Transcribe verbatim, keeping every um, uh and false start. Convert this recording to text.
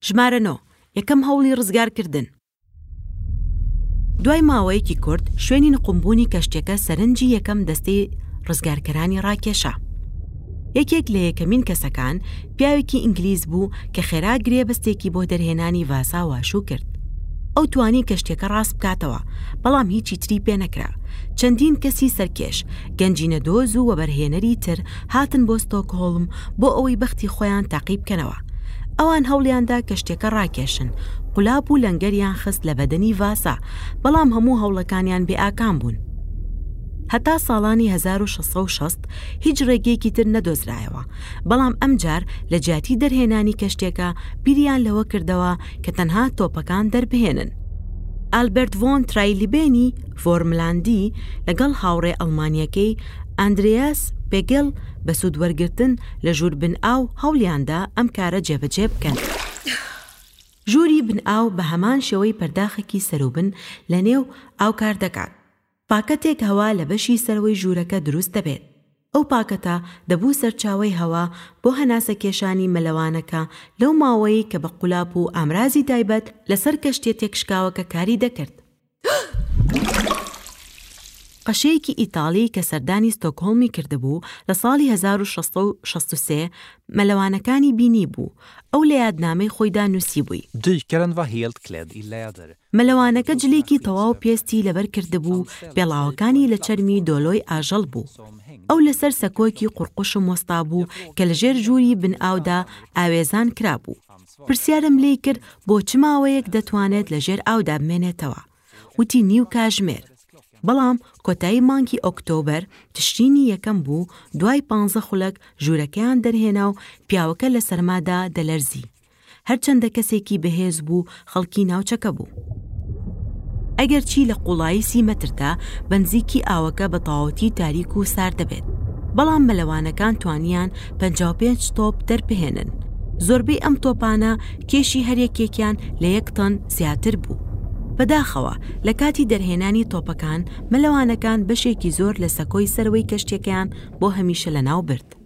ژمارە نۆ، یەکەم هەوڵی ڕزگارکردن. دوای ماوەیەکی کورت شوێنی نقومبوونی کەشتیەکە سەرنجی یەکەم دەستەی ڕزگارکەرانی ڕاکێشا. یەکێک لە یەکەمین کەسەکان پیاوێکی ئینگلیز بوو کە خێرا گرێبەستێکی بۆ دەرهێنانی ڤاسا واشوو کرد. ئەو توانی کەشتیەکە ڕاست بکاتەوە، بەڵام هیچی تری پێ نەکرا. چەندین کەسی سەرکێش، گەنجینەدۆز و وەبەرهێنەری تر هاتن بۆ ستۆکهۆڵم بۆ ئەوەی بەختی خۆیان تاقی بکەنەوە. ئەوان هەوڵیاندا کەشتیەکە ڕاکێشن، قولاپ و لەنگەریان خست لە بەدەنی ڤاسا، بەڵام هەموو هەوڵەکانیان بێ ئاکام بوون. هەتا ساڵانی هەزار و شەش سەد و شەست هیچ ڕێگەیەکی تر نەدۆزرایەوە، بەڵام ئەمجار لە جیاتی دەرهێنانی کەشتیەکە بیریان لەوە کردەوە کە تەنها تۆپەکان دەربهێنن. ئالبەرت ڤۆن ترایلیبێنی ڤۆرملاندی لەگەڵ هاوڕێ ئەڵمانیەکەی ئەندریاس پێگل بە سوود وەرگرتن لە ژوور بن ئاو هەوڵیاندا ئەم کارە جێبەجێ بکەن. ژووری بن ئاو بە هەمان شێوەی پەرداخێکی سەروبن لە نێو ئاو کار دەکات. پاکەتێک هەوا لە بەشی سەرەوەی ژوورەکە دروست دەبێت. ئەو پاکەتە دەبوو سەرچاوەی هەوا بۆ هەناسەکێشانی مەلەوانەکە لەو ماوەیەی کە بە قولاپ و ئامرازی تایبەت لەسەر کەشتیە تێکشکاوەکە کاری دەکرد. قەشەیەکی ئیتاڵی کە سەردانی ستۆکهۆڵمی کردبوو لە ساڵی هەزار و شەش سەد و شەست و سێ مەلەوانەکانی بینیبوو. ئەو لە یادنامەی خۆیدا نووسیبووی. Dykaren var helt kledd i läder. مەلەوانەکە جلێکی تەواو پێستی لەبەر کردبوو و پێڵاوەکانی لە چەرمی دۆلۆی ئاژەڵ بوو. ئەو لەسەر سەکۆیەکی قوڕقوشم وەستابوو کە لەژێر ژووری بن ئاودا ئاوێزان کرابوو. پرسیارم لێی کرد بۆ چ ماوەیەک دەتوانێت لەژێر ئاودا بمێنێتەوە. وتی نیو کاژمێر. بەڵام کۆتایی مانگی ئۆکتۆبەر تشرینی یەکەم بوو، دوای پانزە خولەک ژوورەکەیان دەرهێنا و پیاوەکە لە سەرمادا دەلەرزی. هەرچەندە کەسێکی بەهێز بوو، خەڵکی ناوچەکە بوو. ئەگەرچی لە قوڵایی سی مەتردا بەنزیکی ئاوەکە بە تەواوەتی تاریک و سارد دەبێت، بەڵام مەلەوانەکان توانیان پەنجا و پێنج تۆپ دەربهێنن. زۆربەی ئەم تۆپانە کێشی هەریەکێکیان لە یەک تەن زیاتر بوو. بەداخەوە لە کاتی دەرهێنانی تۆپەکان مەلەوانەکان بەشێکی زۆر لە سەکۆی سەرەوەی کەشتیەکەیان بۆ هەمیشە لەناو برد.